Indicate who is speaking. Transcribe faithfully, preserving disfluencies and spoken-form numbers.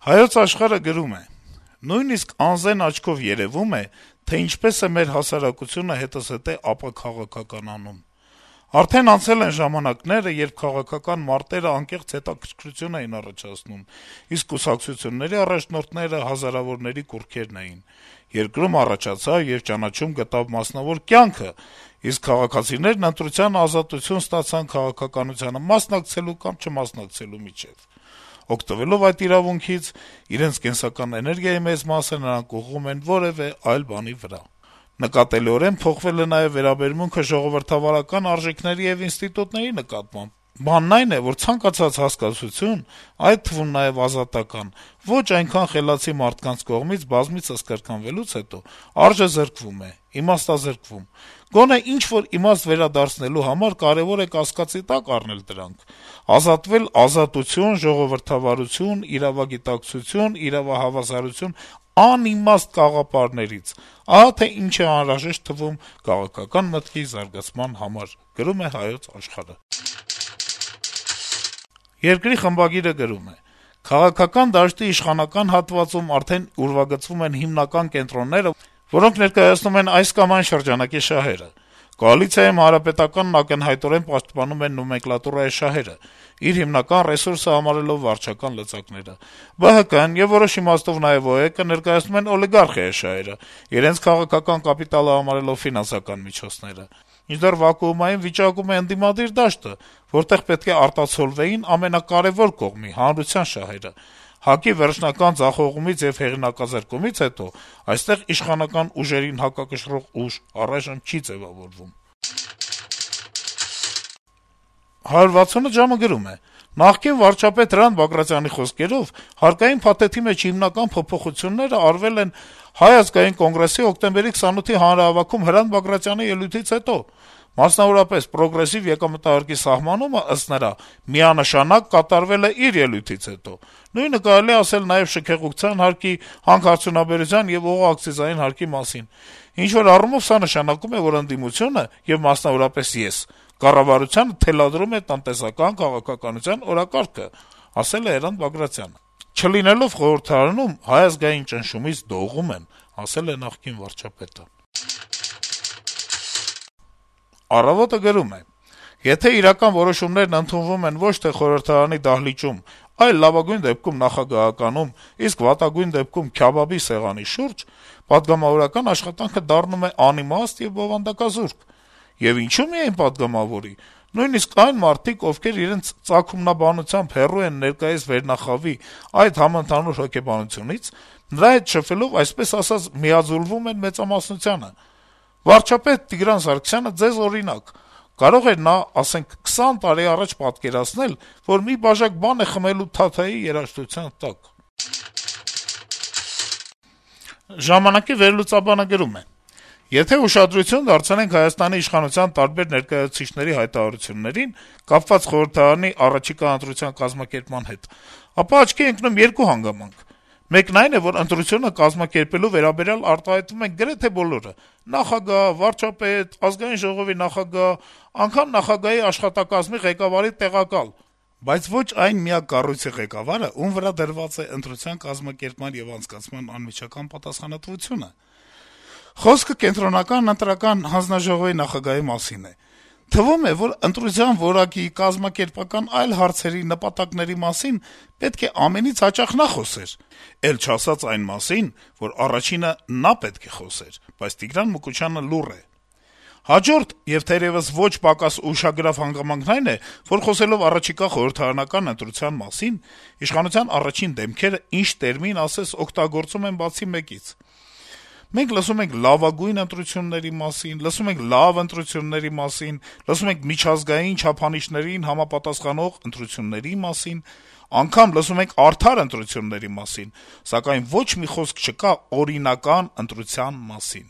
Speaker 1: Հայոց Աշխարհը գրում է. - «Նույնիսկ անզեն աչքով երեւում է, թե ինչպես է մեր հասարակությունը հետզհետե ապաքաղաքական անում: Արդեն անցել են ժամանակները, երբ քաղաքական մարտերը անկեղծ հետաքրքրություն էին առաջացնում, իսկ կուսակցությունների առաջնորդները հազարավորների կուռքերն էին: Երկրում առաջացավ եւ ճանաչում գտավ մասնավոր կյանքը, իսկ քաղաքացիներն ընտրության ազատություն ստացան քաղաքականությանը մասնակցելու կամ չմասնակցելու միջեւ: Օգտվելով այդ իրավունքից, իրենց կենսական էներգիայի մեծ մասը նրանք ուղղում են որեւէ այլ բանի վրա: Նկատելիորեն փոխվել է նաեւ վերաբերմունքը ժողովրդավարական արժեքների եւ ինստիտուտների նկատմամբ: Բանն այն է, որ ցանկացած հասկացություն, այդ թվում նաեւ ազատական, ոչ այնքան խելացի մարդկանց կողմից բազմիցս կրկնվելուց հետո արժեզրկվում է, իմաստազրկվում: Գոնե ինչ-որ իմաստ վերադարձնելու համար կարեւոր է կասկածի տակ առնել դրանք, ազատվել ազատություն, ժողովրդավարություն, իրավագիտակցություն, իրավահավասարություն անիմաստ կաղապարներից: Ահա թե ինչ է անհրաժեշտ թվում քաղաքական մտքի զարգացման համար»: «Երկիր» թերթի խմբագիրը գրում է. - «Քաղաքական դաշտի իշխանական հատվածում արդեն ուրվագծվում են հիմնական կենտրոնները, որոնք ներկայացնում են այս կամ այն շրջանակի շահերը: Կոալիցիայում Հանրապետականն ակնհայտորեն պաշտպանում է նոմենկլատուրայի շահերը, իր հիմնական ռեսուրսը համարելով վարչական լծակները: Բը հը կն եւ որոշ իմաստով նաեւ Ο Է Կը ներկայացնում են օլիգարխիայի շահերը, իրենց քաղաքական կապիտալը համարելով ֆինանսական միջոցները: Մինչդեռ վակուումային վիճակում է ընդդիմադիր դաշտը, որտեղ պետք է արտացոլվեին ամենակարեւոր կողմի` հանրության շահերը: ՀԱԿ-ի վերջնական ձախողումից եւ հեղինակազրկումից հետո այստեղ իշխանական ուժերին հակակշռող ուժ առայժմ չի ձեւավորվում»: «հարյուր վաթսուն ժամ»-ը գրում է. - «Նախկին վարչապետ Հրանտ Բագրատյանի խոսքերով, հարկային փաթեթի մեջ հիմնական փոփոխությունները արվել են Հայ ազգային կոնգրեսի հոկտեմբերի քսանութի հանրահավաքում Հրանտ Բագրատյանի ելույթից հետո: Մասնավորապես, պրոգրեսիվ եկամտահարկի սահմանումը, ըստ նրա, միանշանակ կատարվել է իր ելույթից հետո: Նույնը կարելի է ասել նաեւ շքեղության հարկի, հանքարդյունաբերության եւ օղակցիզային հարկի մասին: Ինչ-որ առումով սա նշանակում է, որ ընդդիմությունը, եւ մասնավորապես ես, կառավարությանը թելադրում է տնտեսական քաղաքականության օրակարգը», - ասել է Հրանտ Բագրատյանը: «Չլինելով խորհրդարանում, Հայ ազգային ճնշումից դողում եմ», - ասել է նախկին վարչապետը: «Առավոտ»-ը գրում է. - «Եթե իրական որոշումներն ընդունվում են ոչ թե խորհրդարանի դահլիճում, այլ լավագույն դեպքում նախագահականում, իսկ վատագույն դեպքում Քյաբաբի սեղանի շուրջ, պատգամավորական աշխատանքը դառնում է անիմաստ եւ բովանդակազուրկ: Եվ ինչու՞ միայն պատգամավորի: Նույնիսկ այն մարդիկ, ովքեր իրենց ծագումնաբանությամբ հեռու են ներկայիս վերնախավի, այդ համընդհանուր հոգեբանությունից, նրա հետ շփվելով, այսպես ասած, միաձուլվում են մեծամասնությանը: Վարչապետ Տիգրան Սարգսյանը ձեզ օրինակ: Կարող էր նա, ասենք, քսան տարի առաջ պատկերացնել, որ մի բաժակ բան է խմելու Թաթայի երաժշտության տակ»: «Ժամանակ»-ի վերլուծաբանը գրում է. - «Եթե ուշադրություն դարձնենք Հայաստանի իշխանության տարբեր ներկայացուցիչների հայտարարություններին` կապված խորհրդարանի առաջիկա ընտրության կազմակերպման հետ, ապա աչքի է ընկնում երկու հանգամանք: Մեկն այն է, որ ընտրությունը կազմակերպելու վերաբերյալ արտահայտվում են գրեթե բոլորը` նախագահ, վարչապետ, Ազգային ժողովի նախագահ, անգամ նախագահի աշխատակազմի ղեկավարի տեղակալ, բայց ոչ այն միակ կառույցի ղեկավարը, ում վրա դրված է ընտրության կազմակերպման եւ անցկացման անմիջական պատասխանատվությունը: Խոսքը Կենտրոնական ընտրական հանձնաժողովի նախագահի մասին է: Թվում է, որ ընտրության որակի, կազմակերպական այլ հարցերի, նպատակների մասին պետք է ամենից հաճախ նա խոսեր, էլ չասած այն մասին, որ առաջինը նա պետք է խոսեր: Բայց Տիգրան Մուկուչյանը լուռ է: Հաջորդ եւ թերեւս ոչ պակաս ուշագրավ հանգամանքն այն է, որ խոսելով առաջիկա խորհրդարանական ընտրության մասին, իշխանության առաջին դեմքերը, ինչ տերմին ասես, օգտագործում են բացի մեկից: Մենք լսում ենք լավագույն ընտրությունների մասին, լսում ենք լավ ընտրությունների մասին, լսում ենք միջազգային չափանիշներին համապատասխանող ընտրությունների մասին, անգամ լսում ենք արդար ընտրությունների մասին, սակայն ոչ մի խոսք չկա օրինական ընտրության մասին»: